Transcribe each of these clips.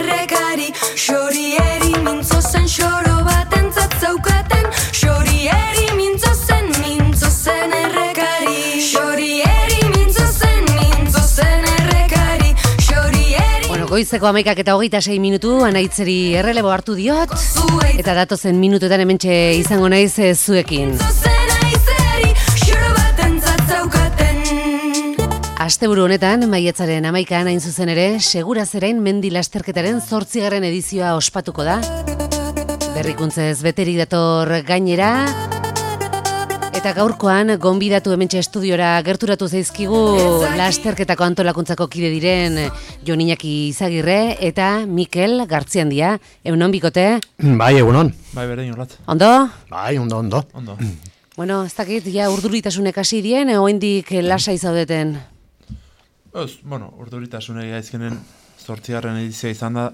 errekari, xorieri mintzo zen xoro batentzat zaukaten, xorieri mintzo zen errekari, xorieri mintzo zen errekari, xorieri. Bueno, goizeko 11:26 minutu, Anaitzeri errelebo hartu diot, eta datozen minutuetan hementxe izango naiz zuekin. Asteburu honetan, maiatzaren 11an hain zuzen ere, Segurazerain mendi lasterketaren 8. edizioa ospatuko da. Berrikuntzez beterik dator gainera, eta gaurkoan gonbidatu hementxe estudiora gerturatu zaizkigu lasterketako antolakuntzako kide diren Jon Iñaki Izagirre eta Mikel Gartziandia. Egunon bikote? Bai, egunon. Bai, berdin holat. Ondo? Bai, ondo. Bueno, ez dakit, ja urduritasunek hasi dien, oraindik lasai zaudeten? Urduritasunei gaizkenen 8. edizioa izan da,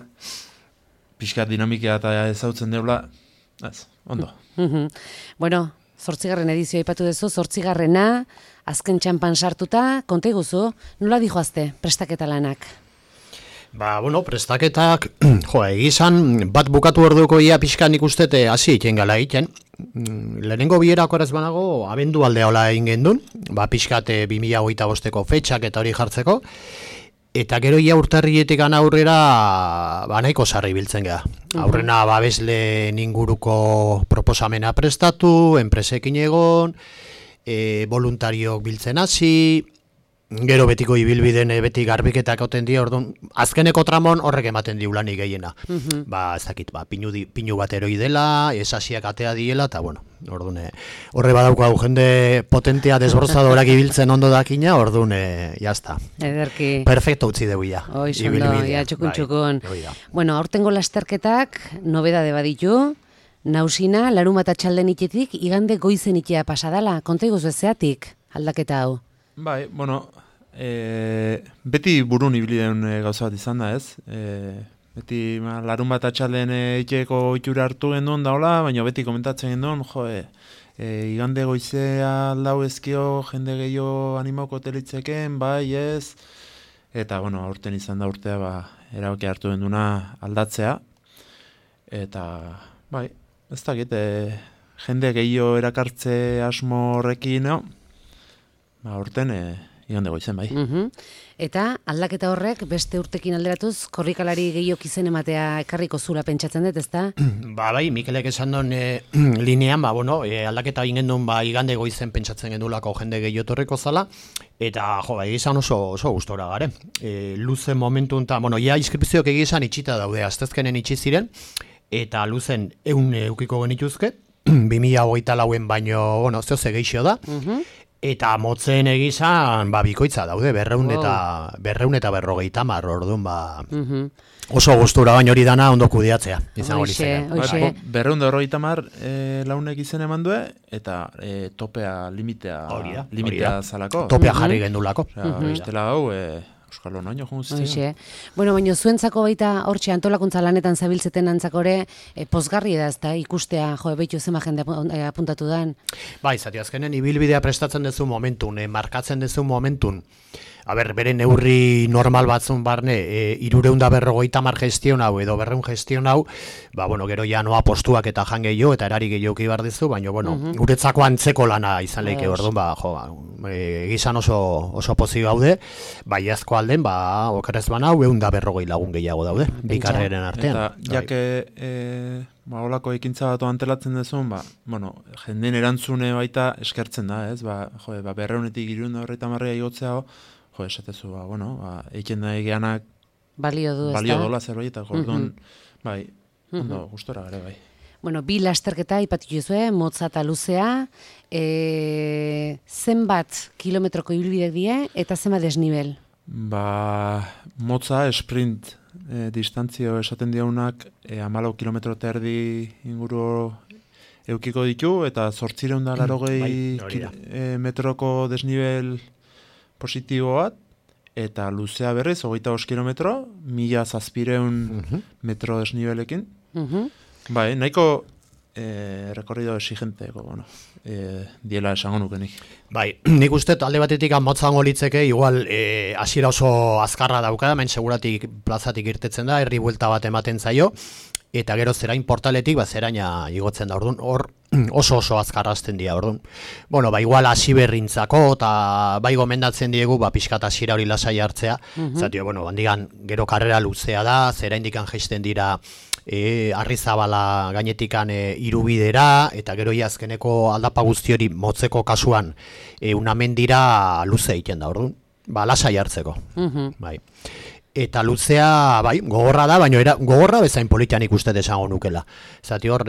pixkat dinamika eta ezautzen deula, ondo. Bueno, 8. edizioa aipatu duzu, 8. azken txampan sartuta, konta iguzu, nola dijoazte prestaketa lanak? Prestaketak, egizan, bat bukatu orduko ia pixkan ikustete hasi egiten gala egiten. Lehenengo bierako ez banago, abendu aldea hola egin gendun, pixkat 2025ko fetxak eta hori jartzeko, eta gero ia urtarrietik aurrera nahiko sarri biltzen geha. Aurrena babesle inguruko proposamena prestatu, enpresekin egon, voluntariok biltzen hasi, gero betiko ibilbiden beti garbiketak oten dira, orduan, azkeneko tramon horrek ematen diulanik gehiena. Ez dakit, pinu bat eroi dela, esasiak atea diela, eta bueno, orduan, horre badauko hau jende potentea desbrozadorak ibiltzen ondo dakina, orduan, jazta. Ederki. Perfecto utzi dugu ya. Oizondo, ja, txukun. Bueno, aurtengo lasterketak, nobedade baditu, nausina, larunbat atxalden itetik, igande goizen itea pasadala, konta iguz bezeatik, aldaketa hau? Bai, beti burun ibilien gauza bat izan da, ez? Beti larun bat atxalden iteko itxura hartu genduen daola, baina beti komentatzen genduen, igande goizea aldau ezkio, jende gehiago animauko telitzeken, bai, ez? Eta, aurten izan da urtea, erabaki hartu genduna aldatzea. Eta, bai, ez dakit, jende gehiago erakartze asmo horrekin, aurten igande goizen, bai. Eta aldaketa horrek beste urtekin alderatuz korrikalari gehiok izen ematea ekarriko zula pentsatzen dut, ezta? Bai, Mikelek esan duen linean, aldaketa egin gendun igande goizen pentsatzen gendulako jende gehiotorreko zala, eta egizan oso gustora gare. Luzen momentun, ia inskripzioak egizan itxita daude, astezkenen itxi ziren, eta luzen eukiko genituzke, 2024 baino, zehoze geixo da, eta motzen egizan, bikoitza daude, 200 eta 250, orduan, oso gustura baino hori dana ondo kudeatzea, izan hori zen. 250 launek izen eman due, eta topea, limitea zalako. Topea jarri gendulako. Bestela hau, Euskal Honaino junzizien. Bueno, baina zuentzako baita hortxe antolakuntza lanetan zabiltzeten antzakore, pozgarri da ezta, ikustea, behitu zema jende apuntatu dan. Bai, zati azkenen ibilbidea prestatzen dezu momentun, markatzen dezu momentun, bere neurri normal batzun barne, 350 gestion hau edo 200 gestion hau, gero ja noa postuak eta jan gehiago eta erari gehiago ibar dizu, baina, guretzako antzeko lana izan leike, orduan, egizan oso pozik gaude, baiazko alden, okerez banau, 250 lagun gehiago daude, bikarreren artean. Eta, jake, holako ekintza batu antelatzen dezun, jenden erantzune baita eskertzen da, ez? 200-etik 350 igotzea, esatezu, eiken da egeanak balio dola zerbait, orduan, bai, ondo, gustora gare, bai. Bueno, bi lasterketa ipatu juzue, motza eta luzea, zenbat kilometroko ibilbidek die, eta zenbat desnibel? Motza, sprint distantzio esaten diaunak, 14 kilometro eta erdi inguru eukiko ditu, eta 880 metroko desnibel positibo bat, eta luzea berrez, 25 kilometro, 1700 metro desnibelekin. Bai, nahiko recorrido exigenteko, bueno, diela esango nukenik. Bai, nik uste alde batetik motzango litzeke, igual hasiera oso azkarra dauka, hemen seguratik plazatik irtetzen da, herri buelta bat ematen zaio, eta gero zerain portaletik, zeraina igotzen da, orduan, hor oso azkarrazten dira, orduan. Bueno, igual hasi berrintzako, eta bai gomendatzen diegu, pixkat hasiera hori lasai hartzea, zatio, bueno, handigan gero karrera luzea da, zeraindikan jaisten dira, Arrizabala gainetikan irubidera, eta gero azkeneko aldapa guzti hori motzeko kasuan unamendira luze egiten da, orduan, lasai hartzeko, bai. Eta luzea, gogorra da, baina gogorra bezain politian ikusten esango nukela. Zati hor,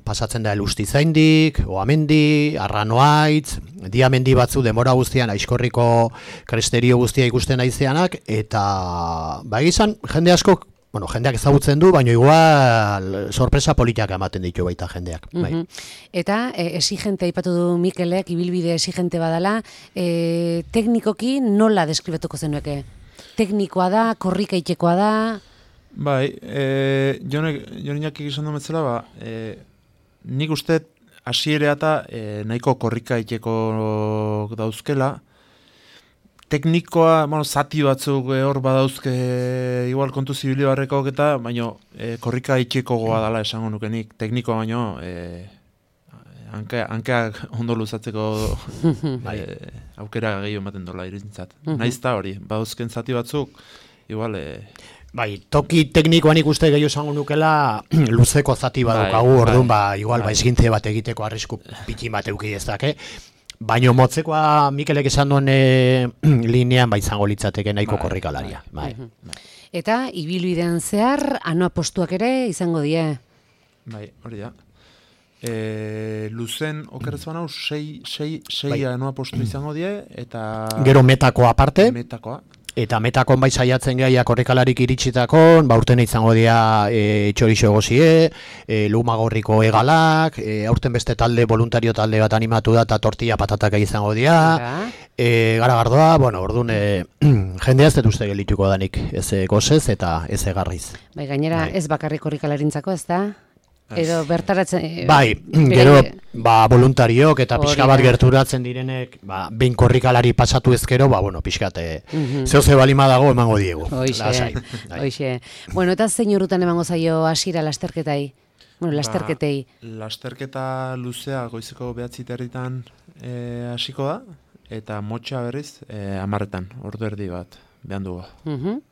pasatzen da Elustizaindik, Oamendi, Arranoaitz, Diamendi batzu demora guztian, Aizkorriko kresterio guztia ikusten aizeanak, eta izan, jende asko, jendeak ezagutzen du, baina igual sorpresa politiak ematen ditu baita jendeak. Eta exigente aipatu du Mikelek, ibilbide exigente badala, teknikoki nola deskribatuko zenueke? Teknikoa da, korrika itxekoa da? Bai, Joniak egizan dumetzela, nik uste hasierea eta nahiko korrika itxeko dauzkela. Teknikoa, zati batzuk hor badauzke igual kontu zibili barrekok eta, baina korrika itxeko goa dala esango nukenik. Teknikoa baino, hankeak ondo luzatzeko aukera gehiago ematen dola irintzat. Naiz da hori, badauzken zati batzuk, igual... toki teknikoan ikuste gehiago esango nukela luzeko zati badukagu, orduan igual esgintze bat egiteko arrisku piti bat euki ez dake. Baina motzekoa Mikelek esan duen linean izango litzateke nahiko korrikalaria. Eta ibilbidean zehar, postuak ere izango die? Bai, hori da. Luzen, okerrez banau, sei postu izango die, eta... Gero metakoa aparte? Metakoa. Eta metakon saiatzen gehiago korrikalarik iritsitako, urten izango dira txorixo egozie, lumagorriko egalak, aurten beste talde, voluntario talde bat animatu da, eta tortilla patatak izango dira, garagardoa, orduan jendea ez dut uste gelituko danik, ez gozez eta ez egarriz. Gainera ez bakarrik korrikalarintzako, ez da? Edo bertaratzen... Gero, voluntariok eta pixka bat gerturatzen direnek, behin korrikalari pasatu ezkero, pixkat, zehose balima dago emango diegu. Hoixe. Bueno, eta zein urrutan emango zaio hasiera lasterketai? Lasterketei. Lasterketa luzea goizeko 9:30 hasiko da, eta motxa berriz 10:00, ordu erdi bat, behan dugu.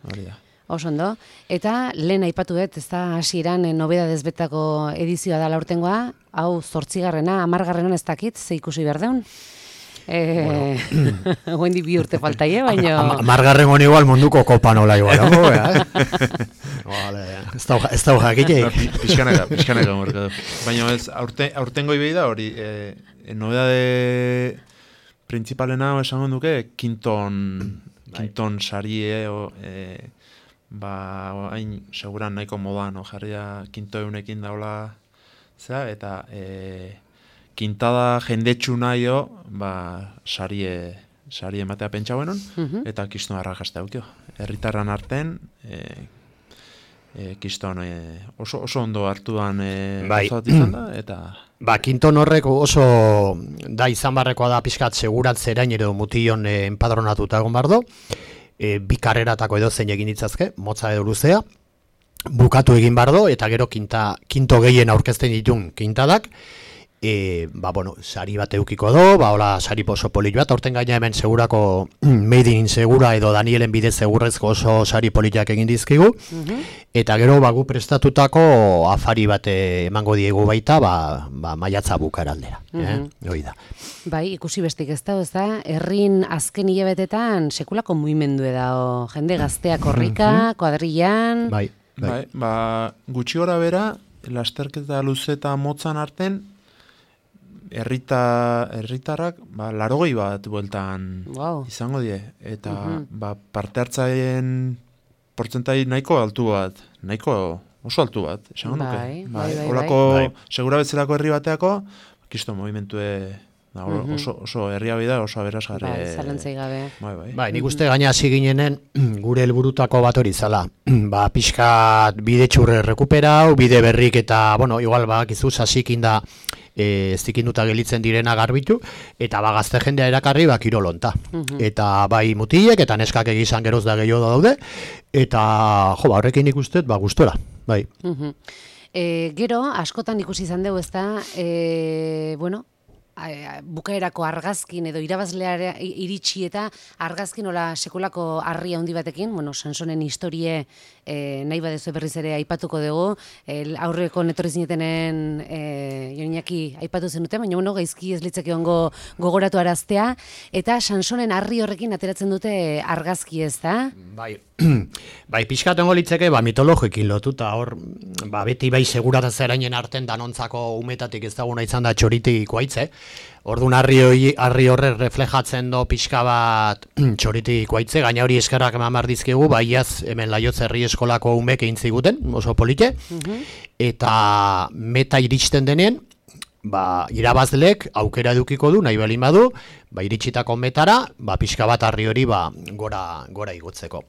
Hori da. Oso ondo. Eta lehen aipatu dut, ez da hasieran nobedadez betako edizioa da laurtengoa, hau 8garrena, 10garrenan ez dakit, ze ikusi behar deun. Guendi 2 urte faltaie, baina... 10garren honi igual munduko kopa nola igual. Ez da jakite. Pixkanaka morkatu. Baina ez, aurtengo ibei da hori, nobedade principalena esango duke, kinton sarie, hain seguran nahiko modan, jarria kinto eunekin daula, eta kintada jendetsu nahio, sarie ematea pentsa benon, eta kiston arrakazte haukio. Herritarran arten, kiston oso ondo hartuan gozat izan da, eta... Kinton horrek oso da izan barrekoa da pixkat segurat zerain edo mution enpadronatuta egon bardo, bi karreratako edo zein egin ditzazke, motza edo luzea, bukatu egin bardo, eta gero kinto gehien aurkezten ditun kintadak, sari bat eukiko do, hola sari oso polit bat, aurten gaina hemen segurako Made in Segura edo Danielen bidez segurrezko oso sari politak egin dizkigu, eta gero gu prestatutako afari bat emango diegu baita, maiatza bukaraldera. Hoi da. Ikusi bestik ez da, herrin azken hilabetetan sekulako mugimendu da, jende gaztea korrika, kuadrillan... Gutxi gora bera, lasterketa luze eta motzan arten, herritarrak 80 bat bueltan izango die, eta parte hartzaien portzentai nahiko altu bat, oso altu bat, esango nuke. Olako segura bezalako herri bateako, kisto movimentue Da, oso herria bida, oso aberasgarri. Bai, zalantzai gabe. Bai, nik uste gaina hasi ginenen gure helburutako bat hori zala. Ba, pixkat bide txurre rekuperau, bide berrik eta, bueno, igual bakizu sasikin da zikinduta gelitzen direna garbitu, eta ba, gazte jendea erakarri ba, kirolonta. Eta bai mutilek eta neskak egizan geroz da gehiago daude, eta jo, ba, horrekin ikustet, ba, gustora, bai. Gero, askotan ikusi izan dugu, ezta, bueno, bukaerako argazkin edo irabazlea iritsi eta argazkin hola sekulako harria handi batekin, bueno, Sansonen historie nahi badezu berriz ere aipatuko dugu, aurreko netorri zinetenen Joninaki aipatu zenute, baina bueno, gaizki ez litzake ongo gogoratu araztea, eta Sansonen harri horrekin ateratzen dute argazki, ez da? Bai, pixkat ongo litzeke, ba, mitologikin lotuta, hor, ba, beti bai segurata zerainen arten danontzako umetatik ez daguna izan da txoritik ikoaitze. Orduan harri horre reflejatzen do pixka bat txoritik ikoaitze, gaina hori eskerrak eman dizkigu, baiaz hemen Laiotz herri eskolako umek egin ziguten, oso polite, eta meta iristen denean, ba, irabazlek aukera edukiko du, nahi balin badu, ba, iritsitako metara, ba, pixka bat harri hori ba, gora igotzeko.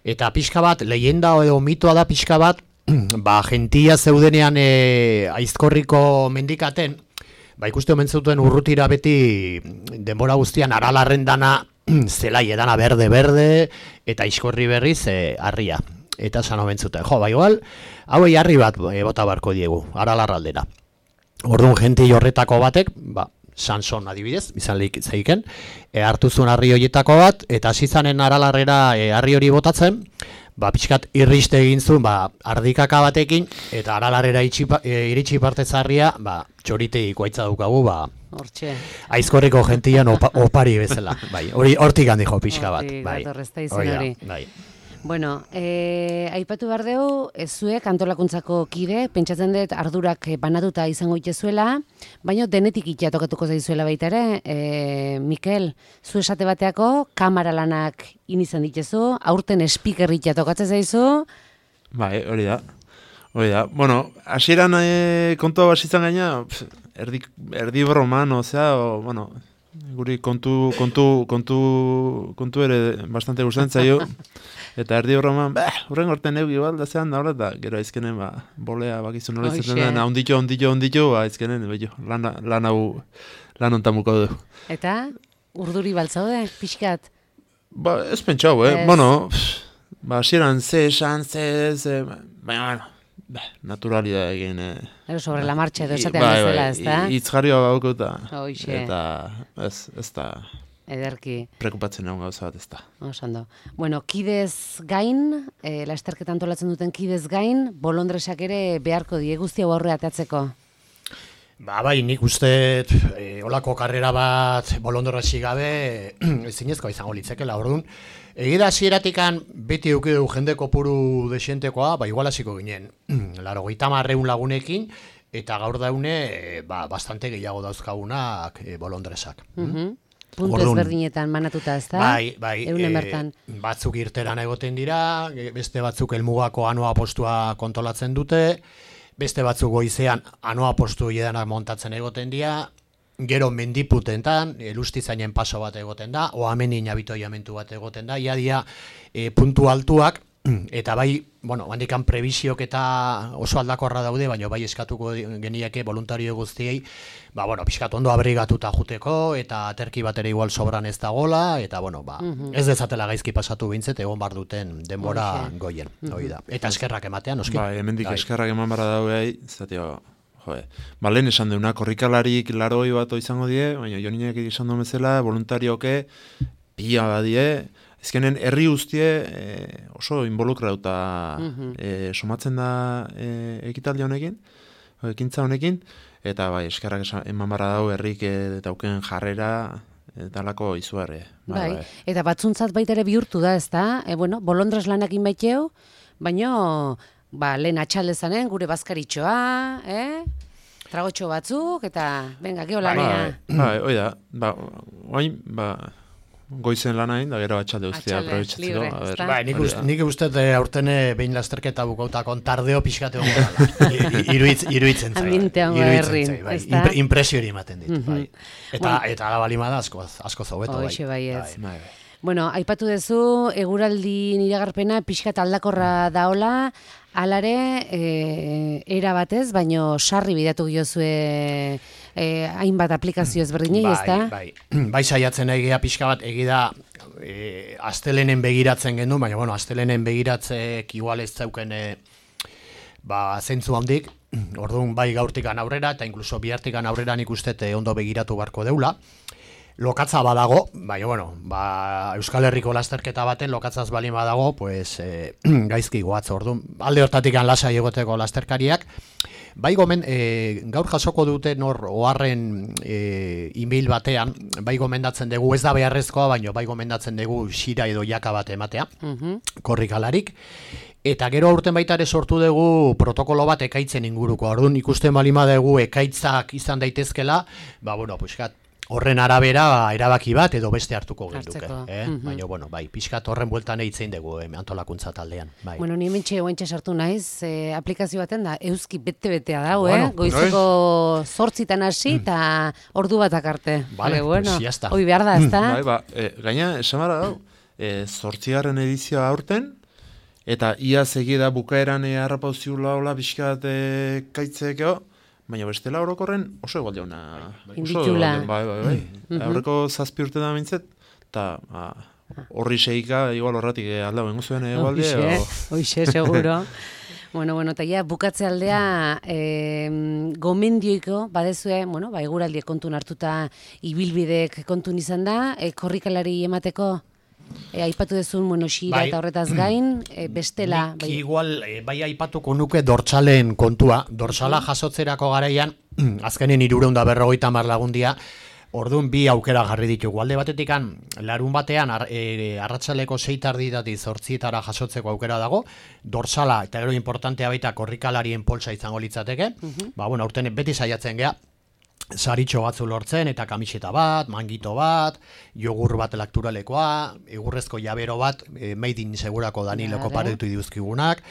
Eta pixka bat, leyenda edo mitoa da pixka bat, ba, gentia zeudenean Aizkorriko mendikaten, ba, ikuste omen zuten urrutira beti denbora guztian aralarren dana zelai edana berde, eta Aizkorri berriz harria. Eta esan omen zuten, jo, ba, igual, hauei harri bat bota barko diegu, aralarraldera. Orduan jenti horretako batek, ba, Sanson adibidez, izan zeiken, hartu zuen harri horietako bat, eta hasi zanen aralarrera harri hori botatzen, ba, pixkat irriste egin zuen, ba, ardikaka batekin, eta aralarrera iritsi partez harria, ba, txorite ikoaitza daukagu, ba, Hortxe. Aizkorriko gentian opari bezala, bai, hori hortik handi jo pixka bat, bai. Horrezta izan hori. Bai. Bueno, aipatu behar dugu, zuek antolakuntzako kide, pentsatzen dut ardurak banatuta izango itezuela, baina denetik itea tokatuko zaizuela baita ere. Mikel, zu esate bateako kamara lanak inizan ditezu, aurten speaker itea tokatzen zaizu. Bai, hori da. Bueno, hasieran kontua basitzen gaina, erdi broman, bueno, guri kontu ere bastante gustatzen zaio. Eta erdi horreman, horren gorten eugi balda zean da horret da, gero aizkenen, bolea bakizu nola izaten da, onditxo, aizkenen, lan ontamuko du. Eta, urduri baltzaude, pixkat? Ez pentsau, bueno, hasieran esan, baina, naturalidad egin. Sobre la marcha edo esatean bezala, ez da? Itzgarrioa baukuta. Eta, ez da... Ederki. Prekupatzen egon gauza bat ez da. Osando. Bueno, kidez gain, lasterketa antolatzen duten kidez gain, bolondresak ere beharko die guztia aurre atatzeko. Ba, bai, nik uste olako karrera bat bolondresi gabe ezinezkoa izango litzekela, orduan. Egida hasieratikan beti eukidu jende kopuru desientekoa, ba, igual hasiko ginen, 80 lagunekin, eta gaur daune, bastante gehiago dauzkagunak bolondresak. Puntu ezberdinetan manatuta, ez da? Bai, Eunen bertan. Batzuk irteran egoten dira, beste batzuk helmugako anoa postua kontolatzen dute, beste batzuk goizean anoa postu edanak montatzen egoten dira, gero mendiputentan, lustizainen paso bat egoten da, oamenin abitoiamentu bat egoten da, iadia puntu altuak, eta bai, bueno, handikan prebiziok eta oso aldakorra daude, baina bai eskatuko geniake voluntario guztiei, ba, bueno, pixkat ondo abrigatuta juteko, eta aterki bat ere igual sobran ez dagola, eta, bueno, ba, ez dezatela gaizki pasatu bintzet, egon bar duten denbora goien, hori da. Eta eskerrak ematean, oski? Ba, hemendik eskerrak eman barra daugai, zatio, ba, lehen esan deuna, korrikalarik laroi bat izango die, baina Joninek esan duen bezala, voluntarioke, pila badie, ezkenen herri guztie oso involukrauta somatzen da ekitaldi honekin, ekintza honekin, eta bai, eskerrak eman barra dau herrik dauken jarrera, talako izugarri. Bai, eta batzuntzat baita ere bihurtu da, ez da? Bueno, bolondres lanakin baiteu, baina lehen atxalezanen gure bazkaritxoa, tragotxo batzuk, eta venga, geho lanea. Bai, oida, goizen lana egin, da gero atxalde guztia Atxalde, aprobetxatzeko. libre, A ber, ezta? Bai, nik uste aurten behin lasterketa bukautakon tardeo pixkate hongo dala. Iruitzen zait. Ambiente hongo herrin, ezta? Impresio hori ematen dit, bai. Eta ala balimada asko zaubeto, bai. Hoxe bai ez. bai. Bueno, aipatu duzu, eguraldi iragarpena pixkat aldakorra daola, alare, era batez, baino sarri bidatu giozue hainbat aplikazio ezberdinei, ezta? Bai saiatzen egia pixka bat, egida astelenen begiratzen gendu, baina bueno, astelenen begiratzek igual ez zauken zentzu handik, orduan bai gaurtikan aurrera, eta inkluso bihartikan aurrera nik uste ondo begiratu barko deula. Lokatza badago, baina, bueno, Euskal Herriko lasterketa baten lokatzaz balin badago, pues, gaizki goatz, orduan, alde hortatik lasai egoteko lasterkariak. Bai gomen, gaur jasoko dute oharren email batean, bai gomendatzen dugu, ez da beharrezkoa, baina bai gomendatzen dugu xira edo jaka bat ematea, korrikalarik. Eta gero aurten baita ere sortu dugu protokolo bat ekaitzen inguruko, orduan ikusten balima dugu ekaitzak izan daitezkela, bueno, puskat, horren arabera erabaki bat edo beste hartuko genduke. Baina, bueno, bai, pixkat horren bueltan eitzen dugu antolakuntza taldean. Bai. Bueno, ni hementxe oaintxe sartu naiz, aplikazio baten da, euski bete-betea dau, Bueno, goizeko 8:00 hasi eta ordu batak arte. Vale, bueno, pues ya está. hoi behar da, ezta? Bai, gaina, esan bara dau, 8. edizioa aurten, eta ia segida bukaeran harrapauziula hola pixkat kaitzekeo, baina bestela orokorren oso egualde hona. Inditula. Bai. Aurreko 7 urte da mintzet, eta horri seika, igual horretik aldau engu zuen egualde. Hoixe, seguro. Bueno, eta ja, bukatze aldea gomendioiko, badezue, eguraldiek kontun hartuta ibilbidek kontun izan da, korrikalari emateko? Aipatu dezun, xira eta horretaz gain, bestela... Nik igual, bai aipatuko nuke dortsalen kontua. Dortsala jasotzerako garaian, azkenen 350 lagundia, orduan bi aukera jarri ditugu. Alde batetikan, larun batean, arratsaleko 6:30 8:00 jasotzeko aukera dago, dorsala, eta gero importantea baita korrikalarien poltsa izango litzateke, aurten beti saiatzen gea, saritxo batzu lortzen, eta kamiseta bat, mangito bat, jogur bat lakturalekoa, egurrezko jabero bat, made in segurako Daniloko paretu iduzkigunak,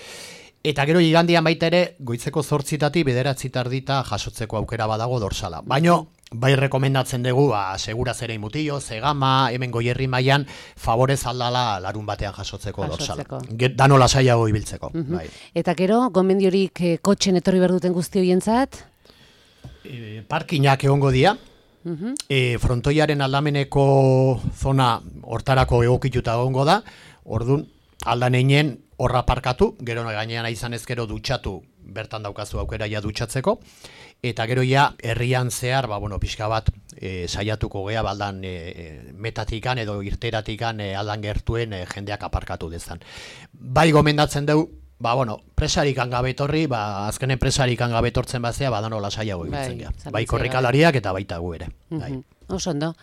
eta gero igandian baita ere, goitzeko 8:00 9:30 jasotzeko aukera badago dorsala. Baino, bai rekomendatzen dugu, segura zerein mutillo, zegama, hemen Goierri mailan, favorez aldala larun batean jasotzeko dorsala. Dano lasaiago ibiltzeko. Eta gero, gomendiorik kotxen etorri berduten guzti hoientzat? Parkinak egongo dira, frontoiaren aldameneko zona hortarako egokituta egongo da, orduan aldan einen horra parkatu, gero gainean izan ezkero dutxatu, bertan daukazu aukera ja dutxatzeko, eta gero ja herrian zehar, pixka bat saiatuko gea baldan metatikan edo irteratikan aldan gertuen jendeak aparkatu dezan. Bai gomendatzen dugu, presarikan gabetorri, azkenen presarikan gabetortzen bazea, badano lasaiago ibiltzen gea. Bai korrikalariak eta baita gu ere. Oso ondo.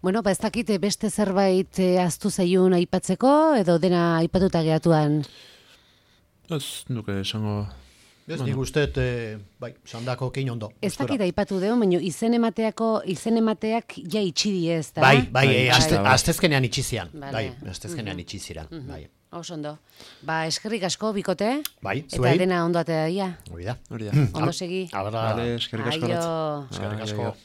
Ez dakit beste zerbait ahaztu zaiun aipatzeko, edo dena aipatuta gehatuan? Ez nuke esango... Ez nik usteet, sandako kein ondo. Ez dakit aipatu deo, baina izen emateak ja itxidi ez, da? Bai, astezkenean itxizian. Bai, astezkenean itxiziran. Oso ondo. Eskerrik asko, bikote. Bai, zuei. Eta dena ondo atea daia. Hori da. Ondo segi. Vale, eskerrik asko. Aio. Eskerrik asko.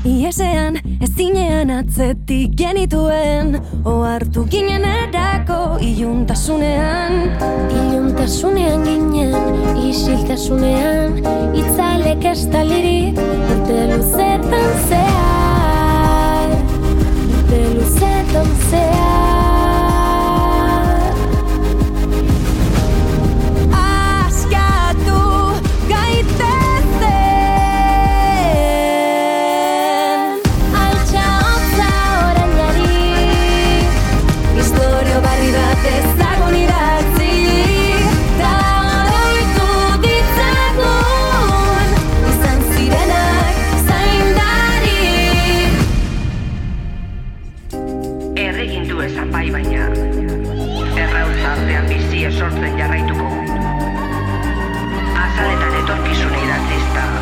Iesean, ezinean atzetik genituen, ohartu ginen erako iluntasunean. Iluntasunean ginen, isiltasunean, itzalek estalirik, urte luzetan zehar, urte luzetan zehar. Askatu gaitezen, barri bat ezagun idatzi, da oroitu ditzagun, izan zirenak zaindari. Erregindu ezan bai baina, errautza artean bizi esortzen jarraituko. Azaletan etorkizun idatzi. artista.